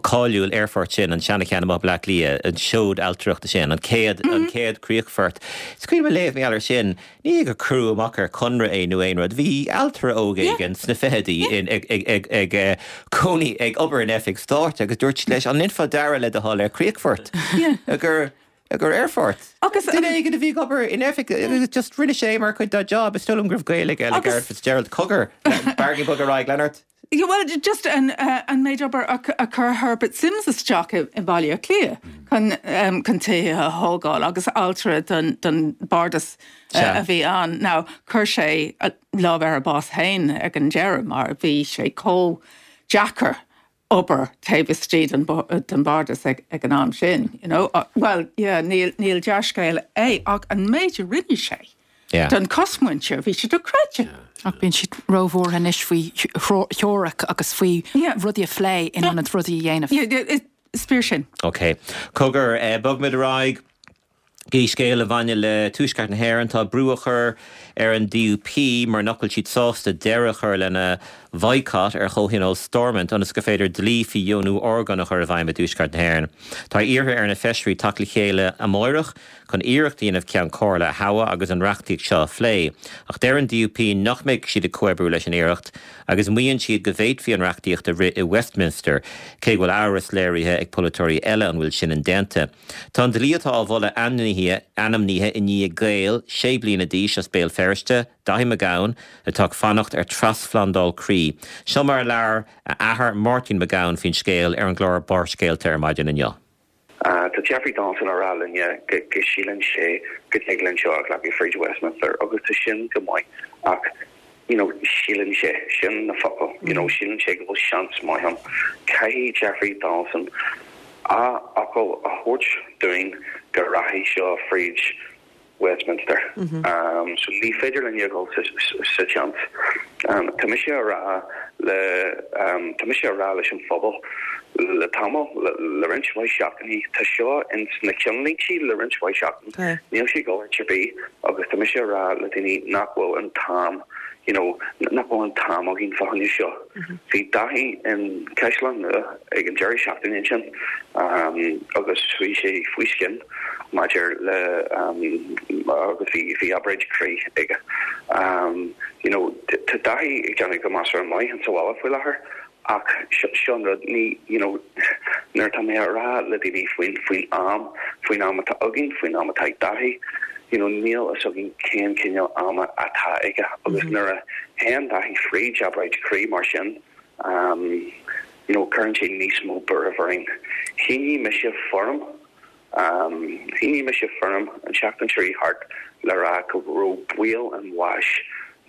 cáiliúil aerfort sin an seana-cheann i mBleá Cliath, an seod ailtireachta sin, an chéad mm -hmm. an chéad críochfort. Is cuimhin liom léamh mar gheall air sin, ní gur cuireadh amach ar conradh é nó aon rud, bhí ailtire óg éigin sna fichidí ag, ag, ag, ag cónaí ag obair in oifig stáit agus dúirt leis an ndéanfá dearadh le do thoil ar críochfort. gur gur aerfort. Agus duine éigin a bhí ag obair in oifig just rinne sé mar chuid dá job is dóigh liom go raibh gaol aige le Garret Fitzgerald cogar Bargain bog ar aghaidh Leonard. Yeah, well, just an, uh, an méid obair a, a chuir Herbert Simms isteach i, i Baile Átha Cliath chun um, chun tithe a thógáil agus ailtire don, don bardas uh, a bhí ann. Now, chuir sé lámh ar a bás féin ag an deireadh mar bhí sé chomh deacair obair taobh istigh den, den bardas ag, ag an am sin. You know? uh, well, yeah, níl, níl dea-scéal é ach an méid a rinne sé. Yeah. Don chosmhuintir bhí sé dochreidte. Ach bíonn siad róbhuartha anois faoi theoiric agus faoi rudaí a phlé in ionad rudaí a dhéanamh. Yeah, is fíor sin. Ok. Cogar eh, bogfaimid ar aghaidh go dtí scéal a bhaineann le Tuaisceart na hÉireann tá brú á chur ar an D U P mar nach bhfuil siad sásta deireadh a chur lena bhoycott ar chomhthionól Stormont ionas gur féidir dlí faoi dheonú orgán a chur i bhfeidhm i dTuaisceart na hÉireann. Tá iarrtha ar na feisirí teacht le chéile amárach chun iarracht a dhéanamh Ceann Comhairle a thoghadh agus an reachtaíocht seo a phlé. Ach deir an D U P nach mbeidh siad ag comhoibriú leis an iarracht agus maíonn siad go bhféadfaí an reachtaíocht a rith i Westminster, cé go bhfuil amhras léirithe ag polaiteoirí eile an bhfuil sin indéanta. Tá an dlí atá á mholadh ainmnithe ainmnithe i ndiaidh Gael sé bliana d'aois as Béal Feirste, Daithí Mac Gabhann, atá ag fanacht ar trasphlandáil croí. Seo mar a labhair a athair Máirtín Mac Gabhann faoin scéal ar an gclár Barrscéalta ar maidin inniu. Tá Jeffrey Donaldson á rá linne go go síleann sé go dtig linn seo a ghlacadh fríd Westminster agus tá sin go maith ach you know síleann sé, sin na focail, you know síleann sé go bhfuil seans maith ann. Caithfidh Jeffrey Donaldson a fhocal a thabhairt dúinn go rachaidh seo fríd Westminster. So ní féidir linn a dhul sa tseans. Tá mise a rá le tá mise a rá leis an phobal le tamall, le roinnt mhaith seachtainí, tá seo ins na ceannlínte le roinnt mhaith seachtain, níl sé ag dul áit ar bith agus tá mise a rá le daoine nach bhfuil an t-am you know nach bhfuil an t-am againn fá choinne seo. Bhí Daithí in Caisleán Nua ag an deireadh seachtaine ansin agus bhí sé faoi scian maidir le agus bhí bhí obráid croí aige. You know tá Daithí ag déanamh go measartha maith insa bhaile faoi láthair ach seo an rud ní you know nuair atá mé a rá le daoine faoin faoin am, faoin am atá againn, faoin am atá ag Daithí, you know níl a fhios againn cén cineál ama atá aige agus nuair a théann Daithí fríd obráid croí mar sin um you know cuireann sé níos mó buairimh orainn. Shínigh mise foirm um shínigh mise foirm an tseachtain seo thart le rá go raibh baol an bháis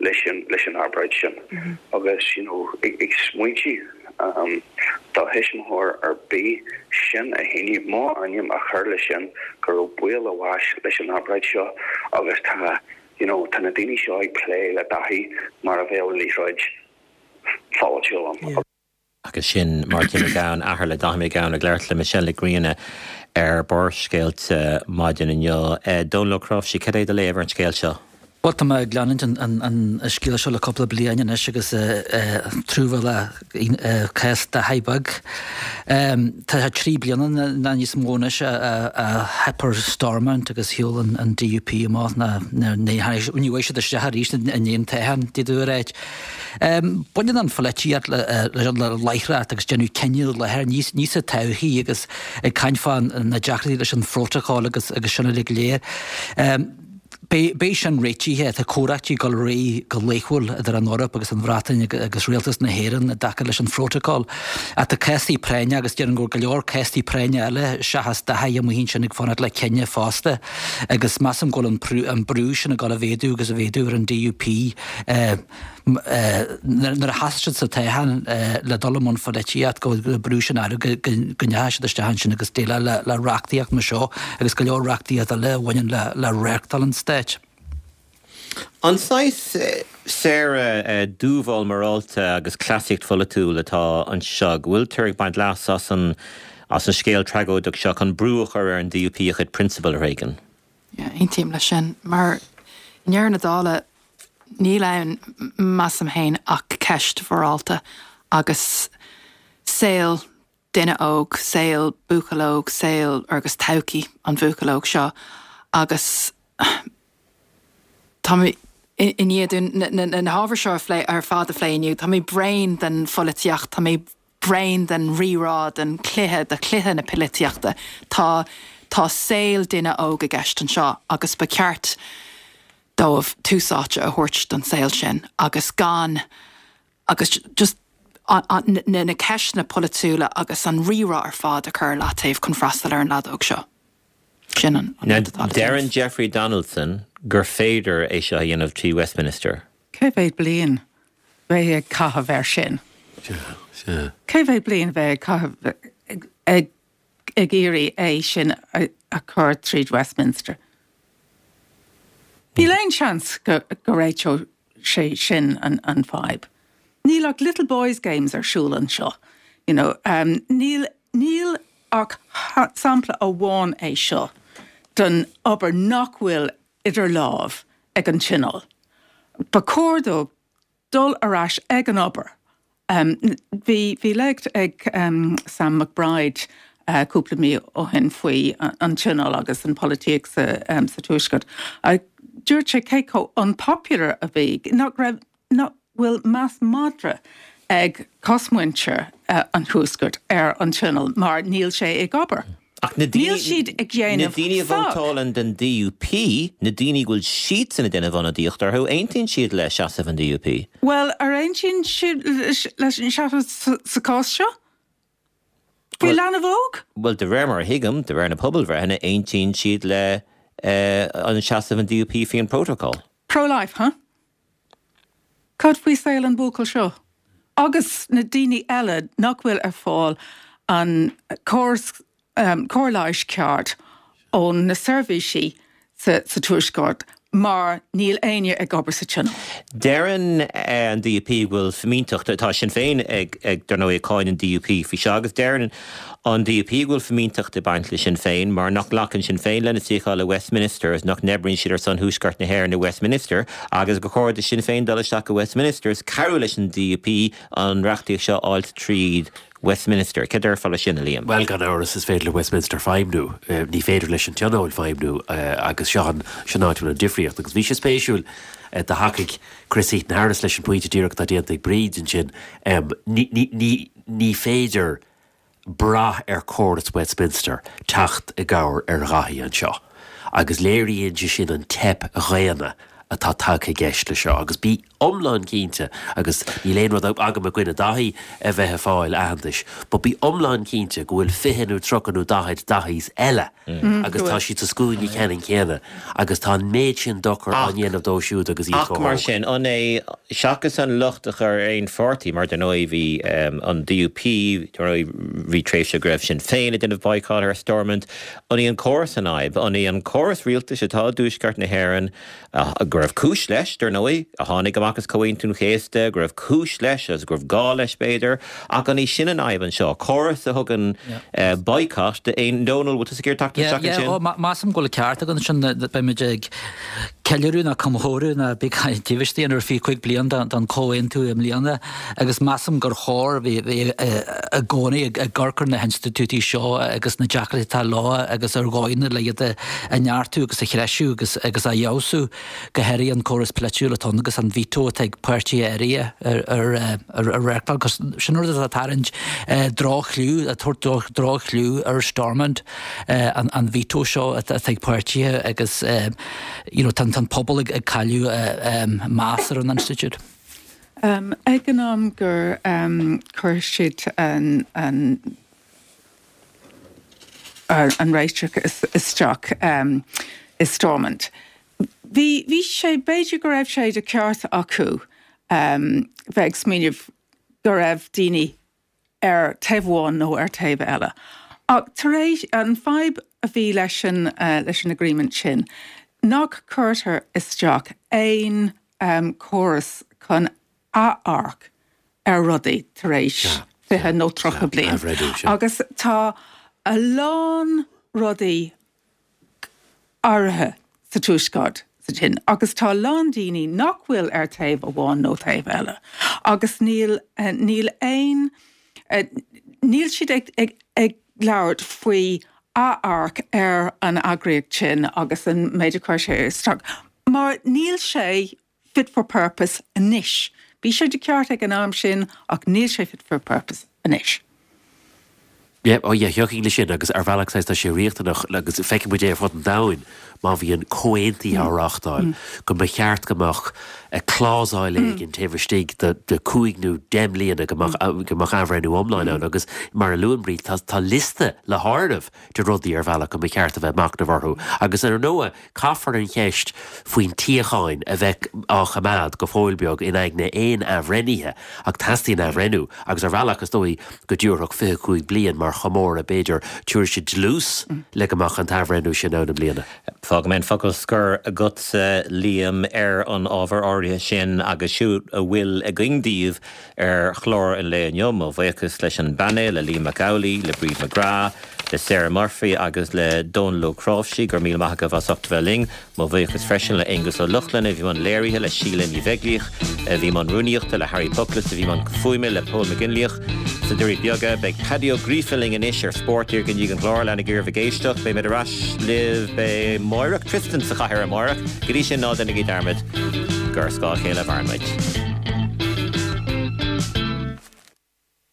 leis an leis an obráid sin agus you know ag ag smaointiú do thuismitheoir ar bith sin a shíniú, mo ainm a chur leis sin, go raibh baol a bháis leis an obráid seo agus tá you know tá na daoine seo ag plé le Daithí mar a bheadh liathróid pholaitiúil ann. Agus sin Máirtín Mac Gabhann, athair le Daithí Mac Gabhann, ag labhairt le Michelle Nic Grianna ar Barrscéalta maidin inniu. Dónal Ó Cnáimhsí, cad é do léamh ar an scéal seo? Bhuel, tá mé ag leanúint an scéal seo le cúpla bliain anois agus truamhéalach cás Daithí beag. Tá sé trí bliana nó níos mó anois a theip ar Stormont agus shiúil an DUP amach ná ní bhfuair siad isteach arís i ndiaidh an toghcháin, d'fhéadfá a ráit. Baineann an pholaitíocht le láithreacht agus déanamh cinneadh láthair, ní sa todhchaí agus ag caint fá na deacrachtaí leis an phrótacal agus sin uilig go léir. Beidh sin réitithe. Tá comhráití ag dul ar aghaidh go laethúil idir an Eoraip agus an Bhreatain agus Rialtas na hÉireann i dtaca leis an phrótacal. Ach tá cásaí práinne agus déarfainn go bhfuil go leor cásaí práinne eile seachas Daithí amuigh ansin ag fanacht le cinneadh fosta agus measaim go bhfuil an brú sin ag dul a mhéadú agus a mhéadú ar an DUP. Nuair a sheas siad sa toghchán le dul i mbun pholaitíocht go bhfuil brú sin orthu go ndeachaigh siad isteach ansin agus déileáil le reachtaíocht mar seo agus go leor reachtaíocht eile a bhaineann le reáchtáil an stáit. An saghas Sarah dúmhál morálta agus cleasaíocht pholaitiúil atá anseo, go bhfuiltear ag baint leas as an as an scéal tragóideach seo chun brú a chur ar an DUP a chuid prionsabal a thréigean? Yeah, aontaím leis sin, mar i ndeireadh na dála níl ann, measaim féin, ach ceist mhorálta agus saol duine óg, saol buachaill óg, saol agus todhchaí an bhuachaill óg seo agus tá mé i ndiaidh na hábhair seo a phlé ar fad a phlé inniu, tá mé bréan den pholaitíocht, tá mé bréan den rírá, den chluiche, de chluiche na polaitíochta. Tá tá saol duine óg i gceist anseo agus ba cheart dóibh tús áite a thabhairt don saol sin agus gan agus just na na ceisteanna polaitiúla agus an rírá ar fad a chur ar leataobh chun freastal ar an leaid óg seo. Sin an an rud atá le déanamh. Deireann Jeffrey Donaldson gur féidir é seo a dhéanamh trí Westminster. Cé mhéad bliain a bheidh ag caitheamh air sin? Cé mhéad bliain a bheidh ag caitheamh ag ag iarraidh é sin a chur tríd Westminster? Níl aon seans go go réiteodh sé sin an an fadhb. Níl ach little boys games ar siúl anseo, you know. Níl níl ach sampla amháin é seo den obair nach bhfuil idir lámh ag an Tionól. Ba chóir dó dul ar ais ag an obair. Bhí bhí léacht ag Sam McBride cúpla mí ó shin faoi an Tionól agus an pholaitíocht sa sa Tuaisceart. Dúirt sé cé chomh unpopular a bhí, nach raibh, nach bhfuil meas madra ag cosmhuintir an Tuaiscirt ar an Tionól mar níl sé ag obair. Ach na Níl siad ag na déanamh daoine a faic. vótálann don DUP, na daoine go bhfuil siadsan ag déanamh ionadaíocht orthu, aontaíonn siad le seasamh an DUP. Bhuel, ar aontaíonn siad leis an seasamh sa chás seo? Faoi leanbh óg? Bhuel, de réir mar a thuigim, de réir na pobalbhreitheanna, aontaíonn siad le an seasamh an DUP faoi an Protocol. Pro-life, huh? Cad faoi saol an bhuachaill seo? Agus na daoine eile nach bhfuil ar fáil an córas cóir leighis ceart ó na seirbhísí sa Tuaisceart mar níl éinne ag obair sa Tionól. Deireann an DUP go bhfuil fimínteacht, tá Sinn Féin ag, dar ndóigh, ag cáineadh an DUP faoi seo, agus deireann an DUP go bhfuil fimínteacht ag baint le Sinn Féin mar nach nglacann Sinn Féin lena suíochán i Westminster is nach n-oibríonn siad ar son Thuaisceart na hÉireann i Westminster agus gur chóir do Sinn Féin dul isteach i Westminster is cabhrú leis an DUP an reachtaíocht seo a fháilt tríd Westminster. Cad déarfá leis sin, a Liam? Bhuel, gan amhras, is féidir le Westminster feidhmniú. Ní féidir leis an Tionól feidhmniú agus seo an, sin an áit a bhfuil an difríocht. Agus bhí sé spéisiúil, do thacaigh Chris Heaton-Harris leis an bpointe díreach atá déanta ag Bríd ansin. Ní, ní, ní, ní féidir brath ar chóras Westminster teacht i gcabhair ar Dhaithí anseo. Agus léiríonn sé sin an teip dhaonna atá tagtha i gceist le seo. Agus bí iomlán cinnte, agus níl aon rud agam i gcoinne Daithí a bheith ag fáil aitheantais, but bí iomlán cinnte go bhfuil fiche nó tríocha nó daichead Daithís eile agus tá siad sa scuaine ceannann céanna agus tá an méid sin dochar á dhéanamh dóibh siúd agus iad Ach mar sin, an é seachas an locht a chur ar aon pháirtí, mar dar ndóigh bhí an D U P, dar ndóigh bhí tréimhse go raibh Sinn Féin ag déanamh boycott ar Stormont, an í an córas an fhadhb? An í an córas rialtais atá i dTuaisceart na hÉireann, go raibh cúis leis, dar ndóigh, a tháinig amach as Comhaontú an Chéasta, go raibh cúis leis agus go raibh gá leis b'fhéidir, ach an í sin an fhadhb anseo, córas a thugann boycott d'aon Dónal, bhfuil tusa ag iarraidh teacht isteach ansin? Yeah, measaim go bhfuil ceart agat ansin, beimid ag ceiliúradh nó comóradh nó bí taobh istigh ar fiche cúig bliain den chomhaontú i mbliana agus measaim gur chóir bheith i gcónaí ag amharc ar na hinstitiúidí seo agus na deacrachtaí atá leo agus ar dhóigheanna le iad a neartú agus a threisiú agus agus a fheabhsú, go háirithe an córas polaitiúil atá ann agus an veto atá ag páirtithe áirithe ar ar ar ar reáchtáil, cos sin rud atá ag tarraingt droch-chliú, ag tabhairt droch-chliú ar Stormont, an an veto seo atá ag páirtithe agus you know tá an pobal ag cailleadh meas ar an institiúid. Ag an am gur chuir siad an an an réiteach isteach i Stormont, bhí bhí sé, b'fhéidir go raibh sé de cheart acu bheith ag smaoineamh go raibh daoine ar taobh amháin nó ar taobh eile. Ach tar éis an fadhb a bhí leis an leis an agreement sin, nach cuirtear isteach aon córas chun amharc ar rudaí tar éis fiche nó tríocha bliain. Agus tá a lán rudaí áirithe sa Tuaisceart sa tin, agus tá a lán daoine nach bhfuil ar taobh amháin nó taobh eile. Agus níl níl aon níl siad ag ag ag labhairt faoi amharc ar an eagraíocht sin agus an méid a chuir sé isteach, mar níl sé fit for purpose anois. Bhí sé de ceart ag an am sin ach níl sé fit for purpose anois. Yeah, oh yeah, thiocfainn leis sin agus ar bhealach tá sé riachtanach agus feicfidh muid é ar fud an domhain má bhíonn comhaontuithe á reáchtáil go mba cheart go mbeadh clásail éigin taobh istigh de de cúig nó deich mbliana go mbeadh go mbeadh athbhreithniú iomlán ann agus mar a luann Bríd tá tá liosta le háireamh de rudaí ar bhealach go mba cheart a bheith machnamh orthu agus ar ndóigh caithfear an cheist faoin tsíocháin a bheith á choimeád go fóill beag in aigne aon athbhreithnithe ach teastaíonn athbhreithniú agus ar bhealach is dóigh go dtabharfadh fiche cúig bliain mar chomóradh b'fhéidir tabharfaidh sé dlús le go mbeadh an t-athbhreithniú sin ann i mbliana. Fágfaidh mé an focal scoir agatsa, Liam, ar an ábhar áirithe sin agus siúd a bhfuil againn daoibh ar chlár an lae inniu. Mo bhuíochas leis an bpainéal, le Liam Mac Amhlaigh, le Bríd McGrath, le Sarah Murphy agus le Dónal Ó Cnáimhsí. Go raibh míle maith agaibh as ucht a bheith linn. Mo bhuíochas freisin le Aonghus Ó Lochlainn a bhí i mbun léirithe, le Síle Ní Bheaglaoich a bhí i mbun rúnaíochta, le Harry Pucklis a bhí i mbun fuaime, le Pól Mac Fhionnlaoich sna Doirí Beaga. Beidh Paddy Ó Gríofa linn anois ar Spórt díreach i ndiaidh an chláir. Leanaigí oraibh ag éisteacht. Beidh muid ar ais libh amárach. Tristan sa chathaoir amárach. Go dtí sin, ná déanaigí dearmad gur ar scáth a chéile a mhaireann muid.